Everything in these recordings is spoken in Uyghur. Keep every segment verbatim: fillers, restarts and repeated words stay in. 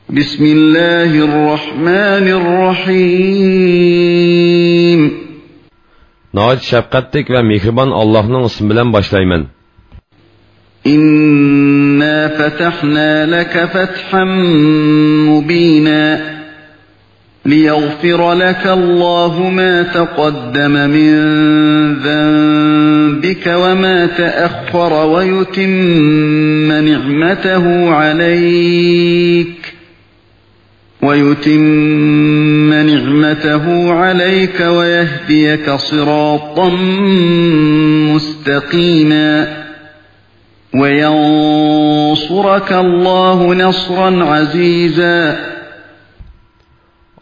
بسم الله الرحمن الرحيم. ناھايىتى شەپقەتلىك ۋە مېھرىبان ئاللاھنىڭ ئىسمى بىلەن باشلايمەن. إنا فتحنا لك فتحا مبينا. ليغفر لك الله ما تقدم من ذنبك وما تأخر ويتم نعمته عليك، ويتم نعمته عليك ويهديك صراطا مستقيما. وينصرك الله نصرا عزيزا.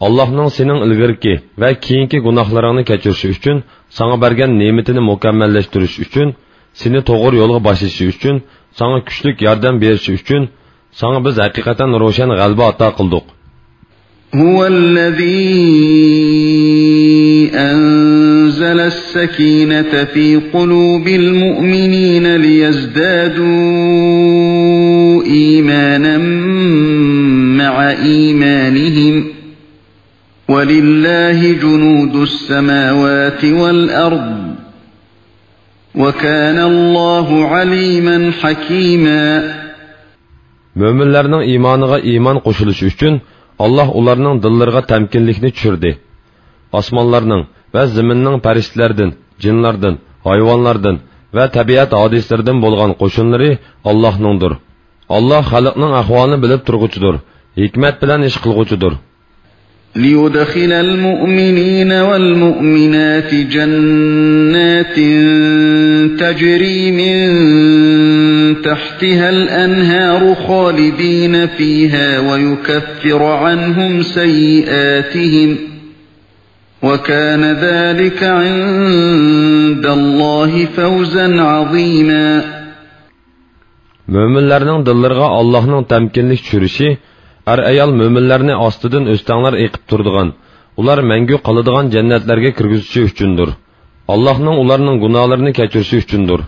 ئاللاھنىڭ سېنىڭ ئىلگىرىكى ۋە كېيىنكى گۇناھلىرىڭنى كەچۈرۈشى ئۈچۈن، ساڭا بەرگەن نېمىتىنى مۇكەممەللەشتۈرۈشى ئۈچۈن، سېنى توغرا يولغا باشلىشى ئۈچۈن، ساڭا كۈچلۈك ياردەم بېرىشى ئۈچۈن، ساڭا بىز ھەقىقەتەن روشەن غەلىبە ئاتا قىلدۇق. هو الذي أنزل السكينة في قلوب المؤمنين ليزدادوا إيمانا مع إيمانهم، ولله جنود السماوات والأرض، وكان الله عليما حكيما. مۆمىنلەرنىڭ ئىمانىغا ئىمان قوشۇلۇشى ئۈچۈن، ئاللاھ ئۇلارنىڭ دىللىرىغا تەمكىنلىكنى چۈشۈردى. ئاسمانلارنىڭ ۋە زېمىننىڭ پەرىشتىلەردىن، جىنلاردىن، ھايۋانلاردىن ۋە تەبىئەت ھادىسىلىرىدىن بولغان قوشۇنلىرى ئاللاھنىڭدۇر. ئاللاھ خەلقنىڭ ئەھۋالىنى بىلىپ تۇرغۇچىدۇر، ھېكمەت بىلەن ئىش قىلغۇچىدۇر. ليدخل المؤمنين والمؤمنات جنات تجري من تحتها الأنهار خالدين فيها ويكفر عنهم سيئاتهم، وكان ذلك عند الله فوزا عظيما. مۆمىنلەرنىڭ دىللىرىغا ئاللاھنىڭ تەمكىنلىك چۈشۈرۈشى، ئەر-ئايال مۆمىنلەرنى ئاستىدىن ئۆستەڭلەر ئېقىپ تۇرىدىغان، ئۇلار مەڭگۈ قالىدىغان جەننەتلەرگە كىرگۈزۈشى ئۈچۈندۇر. ئاللاھنىڭ ئۇلارنىڭ گۇناھلىرىنى كەچۈرۈشى ئۈچۈندۇر.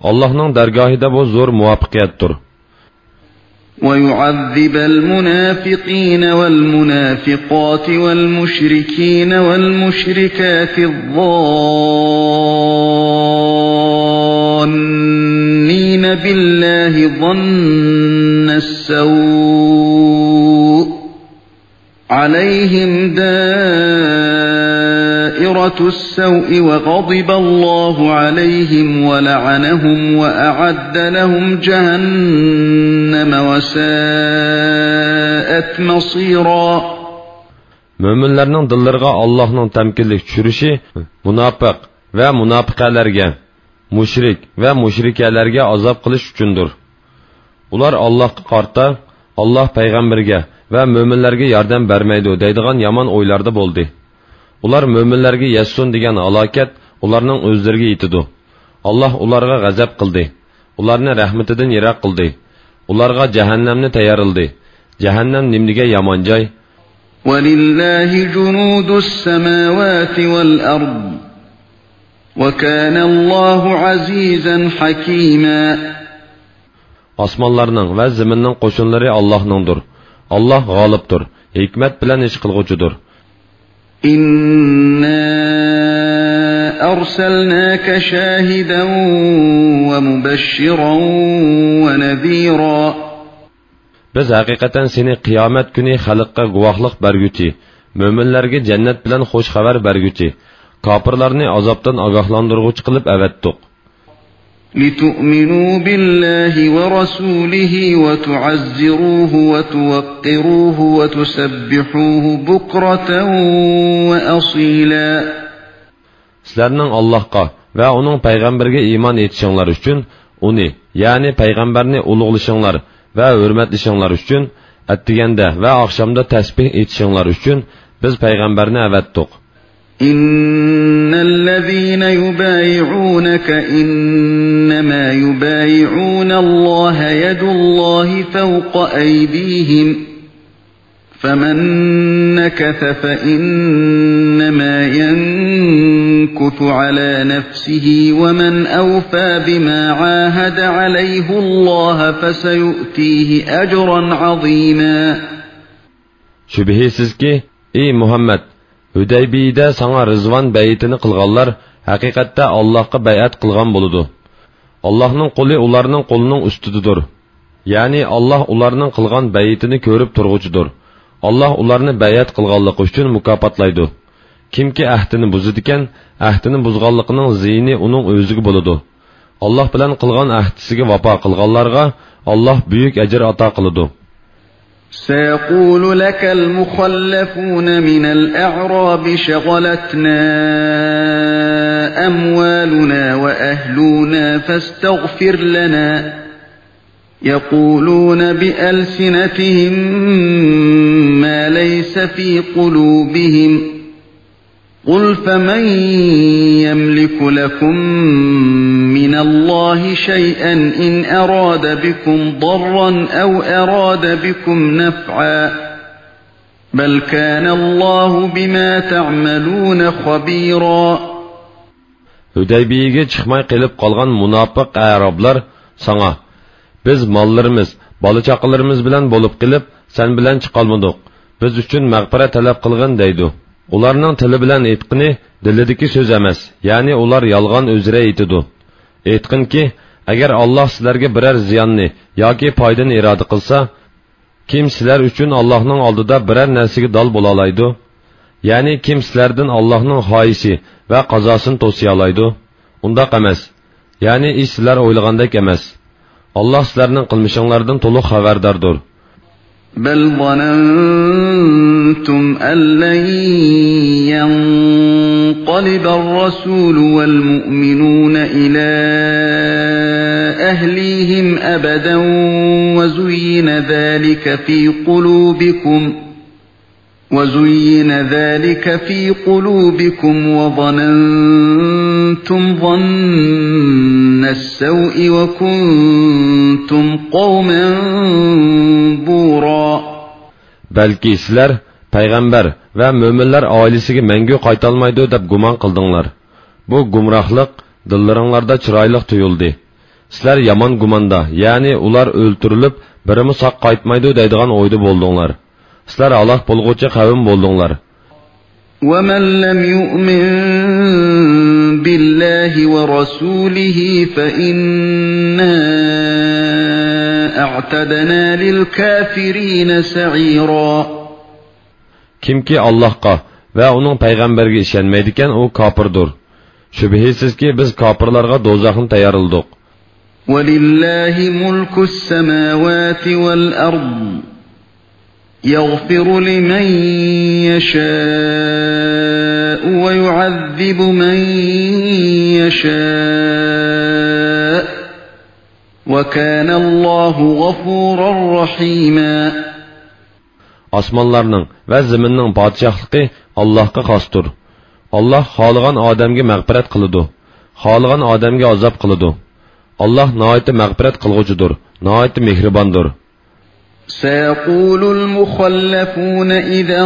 ئاللاھنىڭ دەرگاھىدا بۇ زور مۇۋەپپەقىيەتتۇر. ويعذب المنافقين والمنافقات والمشركين والمشركات الظانين بالله ظن السوء، عليهم دائرة السوء وغضب الله عليهم ولعنهم وأعد لهم جهنم وساءت مصيرا. مۆمىنلەرنىڭ دىللىرىغا ئاللاھنىڭ تەمكىنلىك چۈشۈرۈشى مۇناپىق ۋە مۇناپىقەلەرگە، مۇشرىك ۋە مۇشرىكەلەرگە ئازاب قىلىش ئۈچۈندۇر. ئۇلار ئاللاھقا قارىتا، ئاللاھ پەيغەمبىرىگە ۋە مۆمىنلەرگە ياردەم بەرمەيدۇ دەيدىغان يامان ئويلاردا بولدى. ئۇلار مۆمىنلەرگە يەتسۇن دېگەن ھالاكەت ئۇلارنىڭ ئۆزلىرىگە يېتىدۇ. ئاللاھ ئۇلارغا غەزەپ قىلدى. ئۇلارنى رەھمىتىدىن يىراق قىلدى. ئۇلارغا جەھەننەمنى تەييارلىدى. جەھەننەم نېمىدېگەن يامان جاي! ولله جنود السماوات والأرض، وكان الله عزيزا حكيما. ئاسمانلارنىڭ ۋە زېمىننىڭ قوشۇنلىرى ئاللاھنىڭدۇر. ئاللاھ غالىبتۇر، ھېكمەت بىلەن ئىش قىلغۇچىدۇر. إنا أرسلناك شاهدا ومبشرا ونذيرا. بىز ھەقىقەتەن سېنى قىيامەت كۈنى خەلققە گۇۋاھلىق بەرگۈچى، مۆمىنلەرگە جەننەت بىلەن خۇش خەۋەر بەرگۈچى، كاپىرلارنى ئازابتىن ئاگاھلاندۇرغۇچى قىلىپ ئەۋەتتۇق. لتؤمنوا بالله ورسوله وتعزروه وتوقروه وتسبحوه بكرة وأصيلا. سىلەرنىڭ ئاللاھقا ۋە ئۇنىڭ پەيغەمبىرىگە ئىمان ئېيتىشىڭلار ئۈچۈن، ئۇنى، يەنى پەيغەمبەرنى ئۇلۇغلىشىڭلار ۋە ھۆرمەتلىشىڭلار ئۈچۈن، ئەتىگەندە ۋە ئاخشامدا تەسبىھ ئېيتىشىڭلار ئۈچۈن بىز پەيغەمبەرنى ئەۋەتتۇق. إن الذين يبايعونك إنما يبايعون الله يد الله فوق أيديهم، فمن نكث فإنما ينكث على نفسه، ومن أوفى بما عاهد عليه الله فسيؤتيه أجرا عظيما. شۈبھىسىزكى، ئى مۇھەممەد، ھۈدەيبىيىدە ساڭا رىزۋان بەيئىتىنى قىلغانلار ھەقىقەتتە ئاللاھقا بەيئەت قىلغان بولىدۇ. ئاللاھنىڭ قولى ئۇلارنىڭ قولىنىڭ ئۈستىدىدۇر. يەنى ئاللاھ ئۇلارنىڭ قىلغان بەيئىتىنى كۆرۈپ تۇرغۇچىدۇر. ئاللاھ ئۇلارنى بەيئەت قىلغانلىقى ئۈچۈن مۇكاپاتلايدۇ. كىمكى ئەھدىنى بۇزىدىكەن، ئەھدىنى بۇزغانلىقىنىڭ زىيىنى ئۇنىڭ ئۆزىگە بولىدۇ. ئاللاھ بىلەن قىلغان ئەھدىسىگە ۋاپا قىلغانلارغا ئاللاھ بۈيۈك ئەجىر ئاتا قىلىدۇ. سيقول لك المخلفون من الأعراب شغلتنا أموالنا وأهلنا فاستغفر لنا، يقولون بألسنتهم ما ليس في قلوبهم، قل فمن يملك لكم من الله شيئا إن أراد بكم ضرا أو أراد بكم نفعا، بل كان الله بما تعملون خبيرا. ھۈدەيبىيىگە چىقماي قېلىپ قالغان مۇناپىق ئەرابلار ساڭا، بىز ماللىرىمىز، بالا-چاقىلىرىمىز بىلەن بولۇپ قېلىپ، سەن بىلەن چىقالمىدۇق. بىز ئۈچۈن مەغپىرەت تەلەپ قىلغىن دەيدۇ. ئۇلارنىڭ تىلى بىلەن ئېيتقىنى دىلىدىكى سۆز ئەمەس، يەنى ئۇلار يالغان ئۆزرە ئېيتىدۇ. ئېيتقىنكى، ئەگەر ئاللاھ سىلەرگە بىرەر زىياننى ياكى پايدىنى ئىرادە قىلسا، كىم سىلەر ئۈچۈن ئاللاھنىڭ ئالدىدا بىرەر نەرسىگە دال بولالايدۇ؟ يەنى كىم سىلەردىن ئاللاھنىڭ خاھىشى ۋە قازاسىنى توسىيالايدۇ؟ ئۇنداق ئەمەس. يەنى ئىش سىلەر ئويلىغاندەك ئەمەس. ئاللاھ سىلەرنىڭ قىلمىشىڭلاردىن تولۇق خەۋەرداردۇر. بل ظننتم أن لن ينقلب الرسول والمؤمنون إلى أهليهم أبدا وزين ذلك في قلوبكم وزين ذلك في قلوبكم وظننتم ظن السوء وكنتم قوما بورا. بەلكى سىلەر پەيغەمبەر ۋە مۆمىنلەر ئائىلىسىگە مەڭگۈ قايتالمايدۇ دەپ گۇمان قىلدىڭلار. بۇ گۇمراھلىق دىللىرىڭلاردا چىرايلىق تۇيۇلدى. سىلەر يامان گۇماندا، يەنى ئۇلار ئۆلتۈرۈلۈپ، بىرىمۇ ساق قايتمايدۇ دەيدىغان ئويدا بولدۇڭلار. سىلەر ھالاك بولغۇچى قەۋم بولدۇڭلار. ومن لم يؤمن بالله ورسوله فإنا أعتدنا للكافرين سعيرا. كىمكى ئاللاھقا ۋە ئۇنىڭ پەيغەمبىرىگە ئىشەنمەيدىكەن، ئۇ كاپىردۇر. شۈبھىسىزكى، بىز كاپىرلارغا دوزاخنى تەييارلىدۇق. ولله ملك السماوات والأرض يغفر لمن يشاء ويعذب من يشاء وكان الله غفورا رحيما. ئاسمانلارنىڭ ۋە زېمىننىڭ پادىشاھلىقى ئاللاھقا خاستۇر. ئاللاھ خالىغان ئادەمگە مەغپىرەت قىلىدۇ، خالىغان ئادەمگە ئازاب قىلىدۇ. ئاللاھ ناھايىتى مەغپىرەت قىلغۇچىدۇر، ناھايىتى مېھرىباندۇر. سيقول المخلفون إذا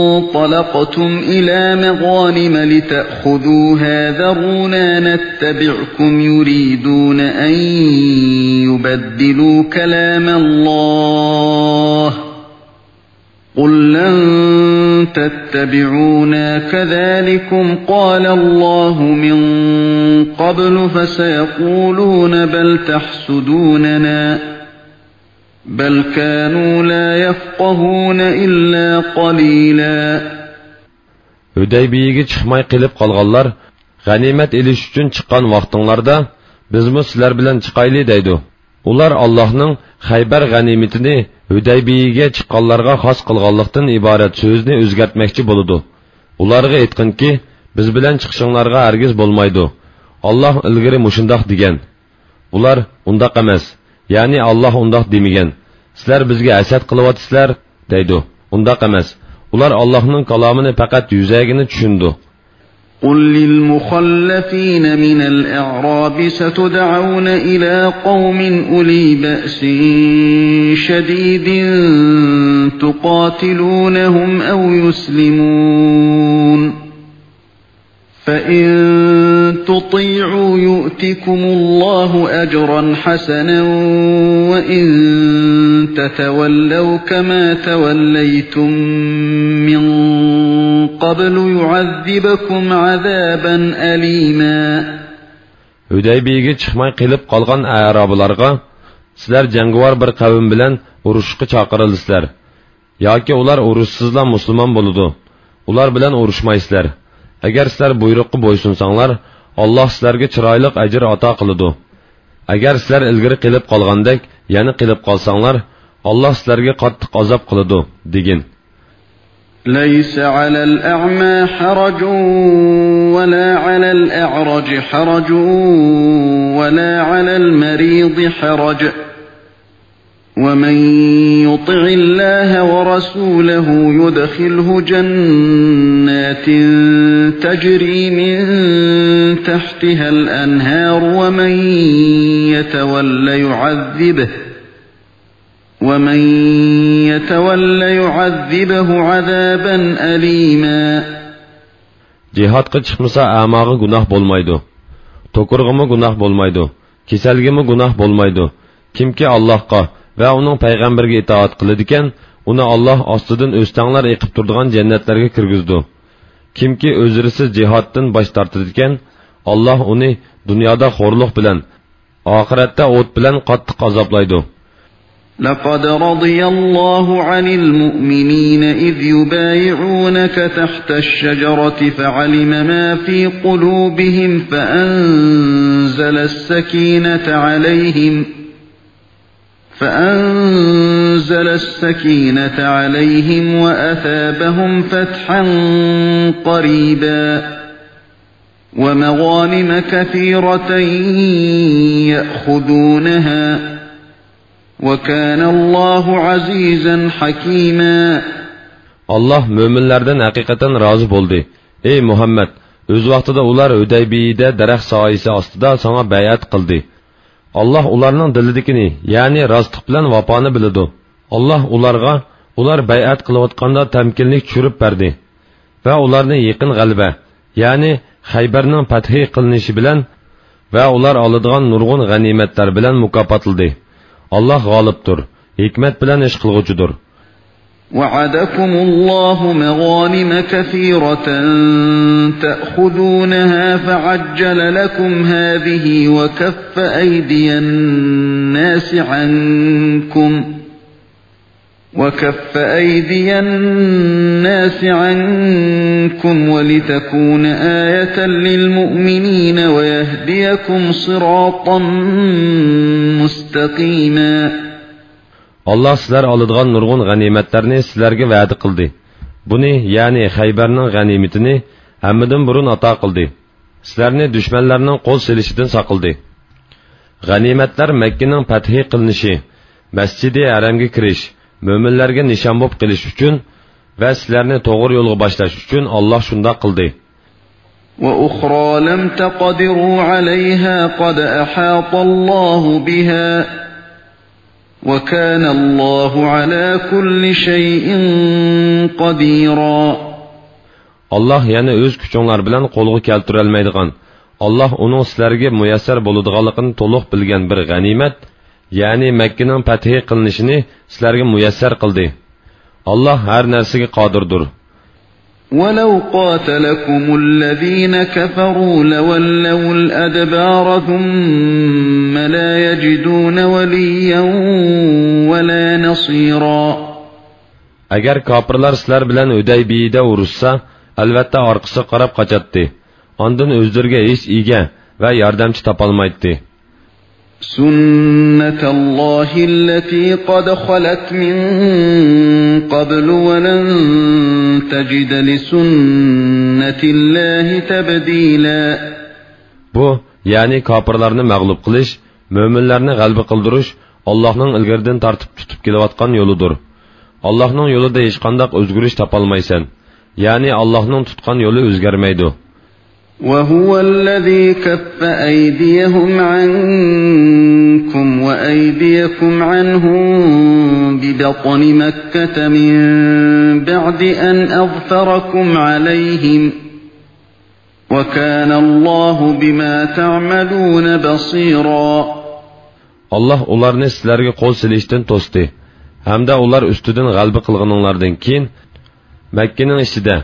انطلقتم إلى مغانم لتأخذوها ذرونا نتبعكم يريدون أن يبدلوا كلام الله قل لن تتبعونا كذلكم قال الله من قبل فسيقولون بل تحسدوننا بل كانوا لا يفقهون إلا قليلا. ھۈدەيبىيىگە چىقماي قېلىپ قالغانلار، غەنىيمەت ئېلىش ئۈچۈن چىققان ۋاقتىڭلاردا، بىزمۇ سىلەر بىلەن چىقايلى دەيدۇ. ئۇلار ئاللاھنىڭ خەيبەر غەنىيمىتىنى ھۈدەيبىيىگە چىققانلارغا خاس قىلغانلىقتىن ئىبارەت سۆزنى ئۆزگەرتمەكچى بولىدۇ. ئۇلارغا ئېيتقىنكى، بىز بىلەن چىقىشىڭلارغا ھەرگىز بولمايدۇ. ئاللاھ ئىلگىرى مۇشۇنداق دېگەن. ئۇلار، ئۇنداق ئەمەس، يەنى ئاللاھ ئۇنداق دېمىگەن، سىلەر بىزگە ھەسەت قىلىۋاتىسىلەر دەيدۇ. ئۇنداق ئەمەس. ئۇلار ئاللاھنىڭ كالامىنى پەقەت يۈزەگىنە چۈشىنىدۇ. قل للمخلفين من الأعراب ستدعون إلى قوم أولي بأس شديد تقاتلونهم أو يسلمون فإن تطيعوا يؤتكم الله أجرا حسنا وإن تتولوا كما توليتم من قبل يعذبكم عذابا أليما. ھۈدەيبىيەگە چىقماي قېلىپ قالغان ئەرابلارغا، سىلەر جەڭگىۋار بىر قەۋم بىلەن ئۇرۇشقا چاقىرىلىسىلەر. ياكى ئۇلار ئۇرۇشسىزلا مۇسۇلمان بولىدۇ. ئۇلار بىلەن ئۇرۇشمايسىلەر. ئەگەر سىلەر بۇيرۇققا بويسۇنساڭلار، ئاللاھ سىلەرگە چىرايلىق ئەجىر ئاتا قىلىدۇ. ئەگەر سىلەر ئىلگىرى قېلىپ قالغاندەك يەنە قېلىپ قالساڭلار، ئاللاھ سىلەرگە قاتتىق ئازاب قىلىدۇ، دېگىن. ليس على الأعمى حرج ولا على الأعرج حرج ولا على المريض حرج ومن يطع الله ورسوله يدخله جنات تجري من تحتها الأنهار ومن يتول يعذبه ومن يتول يعذبه عذابا أليما. جىھادقا چىقمىسا ئەماغا گۇناھ بولمايدۇ. توكۇرغىمۇ گۇناھ بولمايدۇ. كېسەلگىمۇ گۇناھ بولمايدۇ. كىمكى ئاللاھقا ۋە ئۇنىڭ پەيغەمبىرىگە ئىتائەت قىلىدىكەن، ئۇنى ئاللاھ ئاستىدىن ئۆستەڭلار ئېقىپ تۇرىدىغان جەننەتلەرگە كىرگۈزىدۇ. كىمكى ئۆزرىسىز جىھادتىن باش تارتىدىكەن، ئاللاھ ئۇنى دۇنيادا خورلۇق بىلەن، ئاخىرەتتە ئوت بىلەن قاتتىق ئازابلايدۇ. لقد رضي الله عن المؤمنين إذ يبايعونك تحت الشجرة فعلم ما في قلوبهم فأنزل السكينة عليهم فأنزل السكينة عليهم وأثابهم فتحا قريبا ومغانم كثيرة يأخذونها وكان الله عزيزا حكيما. ئاللاھ مۆمىنلەردىن ھەقىقەتەن رازى بولدى. ئەي مۇھەممەد، ئۆز ۋاقتىدا ئۇلار ھۈدەيبىيەدە دەرەخ سايىسى ئاستىدا ساڭا بەيئەت قىلدى. ئاللاھ ئۇلارنىڭ دىلىدىكىنى، يەنى راستلىق بىلەن ۋاپانى بىلىدۇ. ئاللاھ ئۇلارغا ئۇلار بەيئەت قىلىۋاتقاندا تەمكىنلىك چۈشۈرۈپ بەردى ۋە ئۇلارنى يېقىن غەلىبە، يەنى خەيبەرنىڭ پەتھى قىلىنىشى بىلەن ۋە ئۇلار ئالىدىغان نۇرغۇن غەنىيمەتلەر بىلەن مۇكاپاتلىدى. ئاللاھ غالىبتۇر، ھېكمەت بىلەن ئىش قىلغۇچىدۇر. وعدكم الله مغانم كثيرة تأخذونها فعجل لكم هذه وكف أيدي الناس عنكم وكف أيدي الناس عنكم ولتكون آية للمؤمنين ويهديكم صراطا مستقيما. ئاللاھ سىلەر ئالىدىغان نۇرغۇن غەنىيمەتلەرنى سىلەرگە ۋەدە قىلدى. بۇنى، يەنى خەيبەرنىڭ غەنىيمىتىنى ھەممىدىن بۇرۇن ئاتا قىلدى. سىلەرنى دۈشمەنلەرنىڭ قول سېلىشىدىن ساقلىدى. غەنىيمەتلەر مەككىنىڭ پەتھى قىلىنىشى، مەسچىدى ھەرەمگە كىرىش، مۆمىنلەرگە نىشان بولۇپ قېلىش ئۈچۈن ۋە سىلەرنى توغرا يولغا باشلاش ئۈچۈن ئاللاھ شۇنداق قىلدى. وأخرى لم تقدروا عليها قد أحاط الله بها وكان الله على كل شيء قديرا. ئاللاھ يەنە ئۆز كۈچۈڭلار بىلەن قولغا كەلتۈرەلمەيدىغان، ئاللاھ ئۇنىڭ سىلەرگە مۇيەسسەر بولىدىغانلىقىنى تولۇق بىلگەن بىر غەنىيمەت، يەنى مەككىنىڭ پەتھى قىلىنىشىنى سىلەرگە مۇيەسسەر قىلدى. ئاللاھ ھەر نەرسىگە قادىردۇر. ولو قاتلكم الذين كفروا لولوا الأدبار ثم لا يجدون وليا ولا نصيرا. ئەگەر كاپىرلار سىلەر بىلەن ھۈدەيبىيەدە ئۇرۇشسا، ئەلۋەتتە ئارقىسىغا قاراپ قاچاتتى. ئاندىن ئۆزلىرىگە ھېچ ئىگە ۋە ياردەمچى تاپالمايتتى. سنة الله التي قد خلت من قبل ولن تجد لسنة الله تبديلا. بۇ، يەنى كاپىرلارنى مەغلۇپ قىلىش، مۆمىنلەرنى غەلىبە قىلدۇرۇش ئاللاھنىڭ ئىلگىرىدىن تارتىپ تۇتۇپ كېلىۋاتقان يولىدۇر. ئاللاھنىڭ يولىدا ھېچقانداق ئۆزگىرىش تاپالمايسەن. يەنى ئاللاھنىڭ تۇتقان يولى ئۆزگەرمەيدۇ. وهو الذي كف أيديهم عنكم وأيديكم عنهم ببطن مكة من بعد أن أظفركم عليهم وكان الله بما تعملون بصيرا. ئاللاھ ئۇلارنى سىلەرگە قول سېلىشتىن توستى ھەمدە ئۇلار ئۈستىدىن غەلىبە قىلغىنىڭلاردىن كېيىن مەككىنىڭ ئىچىدە،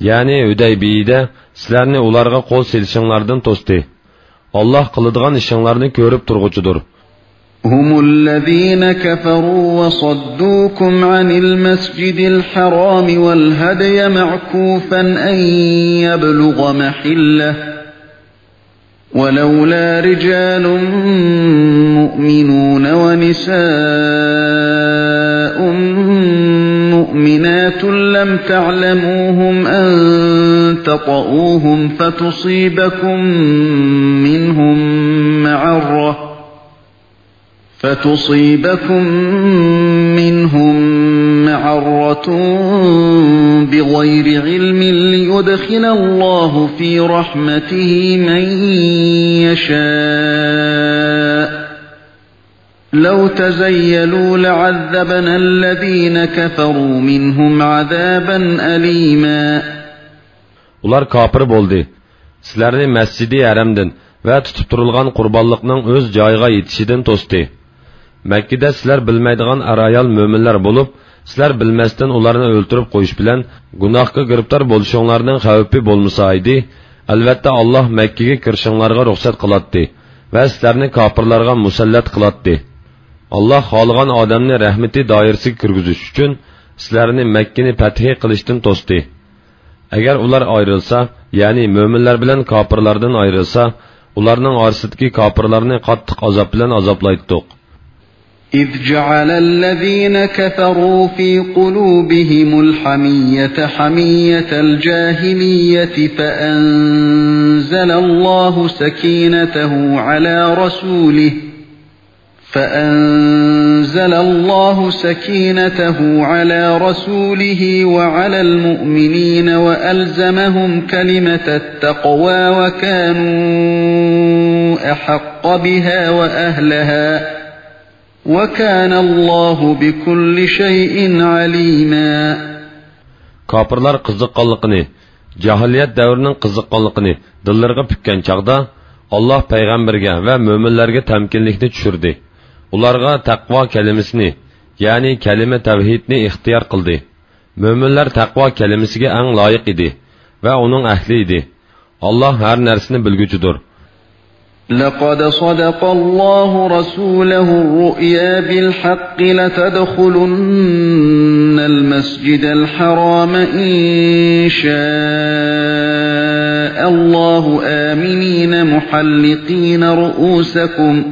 يەنى ھۈدەيبىيىدە سىلەرنى ئۇلارغا قول سېلىشىڭلاردىن توستى. ئاللاھ قىلىدىغان ئىشىڭلارنى كۆرۈپ تۇرغۇچىدۇر. هم الذين كفروا وصدوكم عن المسجد الحرام والهدي معكوفا أن يبلغ محله، ولولا رجال مؤمنون ونساء مؤمنات لم تعلموهم أن تطئوهم فتصيبكم منهم معرة فتصيبكم منهم معرة بغير علم ليدخل الله في رحمته من يشاء، لو تزيلوا لعذبنا الذين كفروا منهم عذابا أليما. ئۇلار كاپىر بولدى. سىلەرنى مەسجىدى ھەرەمدىن ۋە تۇتۇپ تۇرۇلغان قۇربانلىقنىڭ ئۆز جايىغا يېتىشىدىن توستى. مەككىدە سىلەر بىلمەيدىغان ئەر-ئايال مۆمىنلەر بولۇپ، سىلەر بىلمەستىن ئۇلارنى ئۆلتۈرۈپ قويۇش بىلەن گۇناھقا گىرىپتار بولۇشۇڭلارنىڭ خەۋپى بولمىسا ئىدى، ئەلۋەتتە، ئاللاھ مەككىگە كىرىشىڭلارغا رۇخسەت قىلاتتى ۋە سىلەرنى كاپىرلارغا مۇسەللەت قىلاتتى. ئاللاھ خالىغان ئادەمنى رەھمىتى دائىرىسىگە كىرگۈزۈش ئۈچۈن سىلەرنى مەككىنى پەتھى قىلىشتىن توستى. ئەگەر ئۇلار ئايرىلسا، يەنى مۆمىنلەر بىلەن كاپىرلاردىن ئايرىلسا، ئۇلارنىڭ ئارىسىدىكى كاپىرلارنى قاتتىق ئازاب بىلەن ئازابلايتتۇق. إذ جعل الذين كفروا في قلوبهم الحمية حمية الجاهلية فأنزل الله سكينته على رسوله فأنزل الله سكينته على رسوله وعلى المؤمنين وألزمهم كلمة التقوى وكانوا أحق بها وأهلها وكان الله بكل شيء عليما. كاپىرلار قىزىققانلىقىنى، جاھىلىيەت دەۋرىنىڭ قىزىققانلىقىنى دىللىرىغا پۈككەن چاغدا، ئاللاھ پەيغەمبەرگە ۋە مۆمىنلەرگە تەمكىنلىكنى چۈشۈردى. ئۇلارغا تەقۋا كەلىمىسىنى، يەنى كەلىمە تەۋھىدنى ئىختىيار قىلدى. مۆمىنلەر تەقۋا كەلىمىسىگە ئەڭ لايىق ئىدى ۋە ئۇنىڭ ئەھلى ئىدى. ئاللاھ ھەر نەرسىنى بىلگۈچىدۇر. لقد صدق الله رسوله الرؤيا بالحق لتدخلن المسجد الحرام إن شاء الله آمنين محلقين رؤوسكم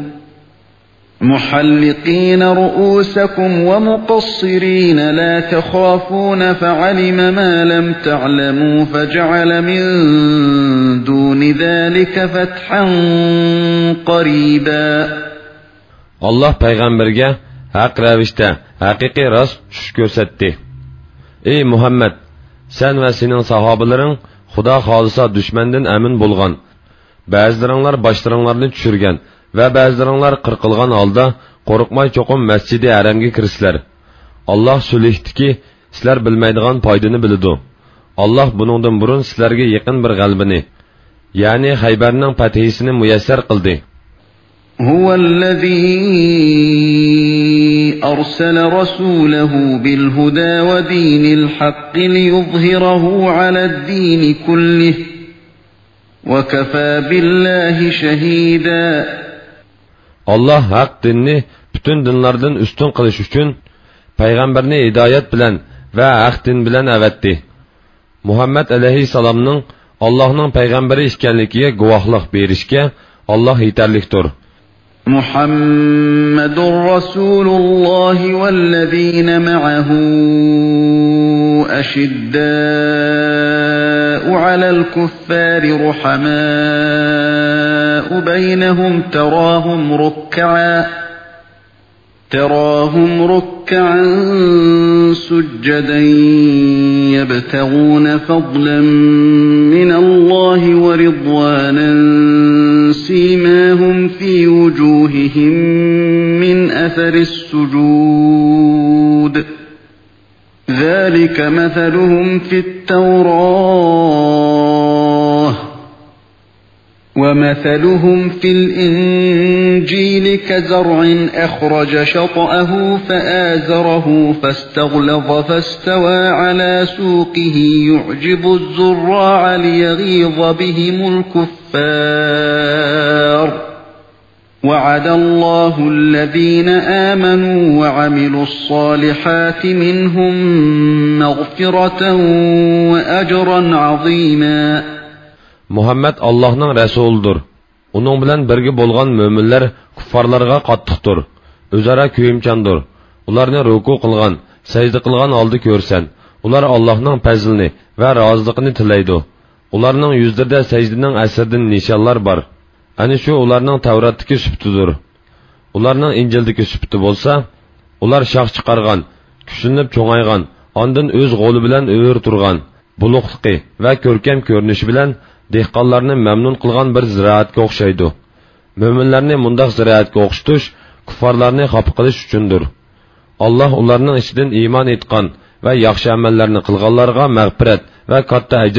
محلقين رؤوسكم ومقصرين لا تخافون فعلم ما لم تعلموا فجعل من دون ذلك فتحا قريبا. ئاللاھ پەيغەمبەرگە ھەق رەۋىشتە ھەقىقىي راست چۈش كۆرسەتتى. ئەي مۇھەممەد، سەن ۋە سېنىڭ ساھابىلىرىڭ خۇدا خالىسا دۈشمەندىن ئەمىن بولغان، بەزىلىرىڭلار باشلىرىڭلارنى چۈشۈرگەن ۋە بەزىلىرىڭلار قىرقىلغان ھالدا قورقماي چوقۇم مەسجىدى ھەرەمگە كىرىسىلەر. ئاللاھ سۈلھتىكى سىلەر بىلمەيدىغان پايدىنى بىلىدۇ. ئاللاھ بۇنىڭدىن بۇرۇن سىلەرگە يېقىن بىر غەلىبىنى، يەنى خەيبەرنىڭ پەتھىسىنى مۇيەسسەر قىلدى. هو الذي أرسل رسوله بالهدى ودين الحق ليظهره على الدين كله وكفى بالله شهيدا. ئاللاھ ھەق دىننى پۈتۈن دىنلاردىن ئۈستۈن قىلىش ئۈچۈن پەيغەمبەرنى ھىدايەت بىلەن ۋە ھەق دىن بىلەن ئەۋەتتى. مۇھەممەد ئەلەيھىسسالامنىڭ ئاللاھنىڭ پەيغەمبىرى ئىكەنلىكىگە گۇۋاھلىق بېرىشكە ئاللاھ يېتەرلىكتۇر. محمد رسول الله والذين معه أشداء على الكفار رحماء بينهم تراهم ركعا تراهم ركعا سجدا يبتغون فضلا من الله ورضوانا سيماهم في وجوههم من أثر السجود ذلك مثلهم في التوراة ومثلهم في الإنجيل كزرع أخرج شطأه فآزره فاستغلظ فاستوى على سوقه يعجب الزراع ليغيظ بهم الكفار. وعد الله الذين آمنوا وعملوا الصالحات منهم مغفرة وأجرا عظيما. مۇھەممەد ئاللاھنىڭ رەسۇلىدۇر. ئۇنىڭ بىلەن بىرگە بولغان مۆمىنلەر كۇففارلارغا قاتتىقتۇر، ئۆزئارا كۆيۈمچاندۇر. ئۇلارنى رۇكۇ قىلغان، سەجدە قىلغان ھالدا كۆرسەن، ئۇلار ئاللاھنىڭ پەزلىنى ۋە رازىلىقىنى تىلەيدۇ. ئۇلارنىڭ يۈزلىرىدە سەجدىنىڭ ئەسىرىدىن نىشانلار بار. ئەنە شۇ ئۇلارنىڭ تەۋراتتىكى سۈپىتىدۇر. ئۇلارنىڭ ئىنجىلدىكى سۈپىتى بولسا، ئۇلار شاخ چىقارغان، كۈچلىنىپ چوڭايغان، ئاندىن ئۆز غولى بىلەن ئۆرە تۇرغان، بولۇقلۇقى ۋە كۆركەم كۆرۈنۈشى بىلەن دېھقانلارنى مەمنۇن قىلغان بىر زىرائەتكە ئوخشايدۇ. مۆمىنلەرنى مۇنداق زىرائەتكە ئوخشىتىش كۇففارلارنى خاپا قىلىش ئۈچۈندۇر. ئاللاھ ئۇلارنىڭ ئىچىدىن ئىمان ئېيتقان ۋە ياخشى ئەمەللەرنى قىلغانلارغا مەغپىرەت ۋە كاتتا ئەجىر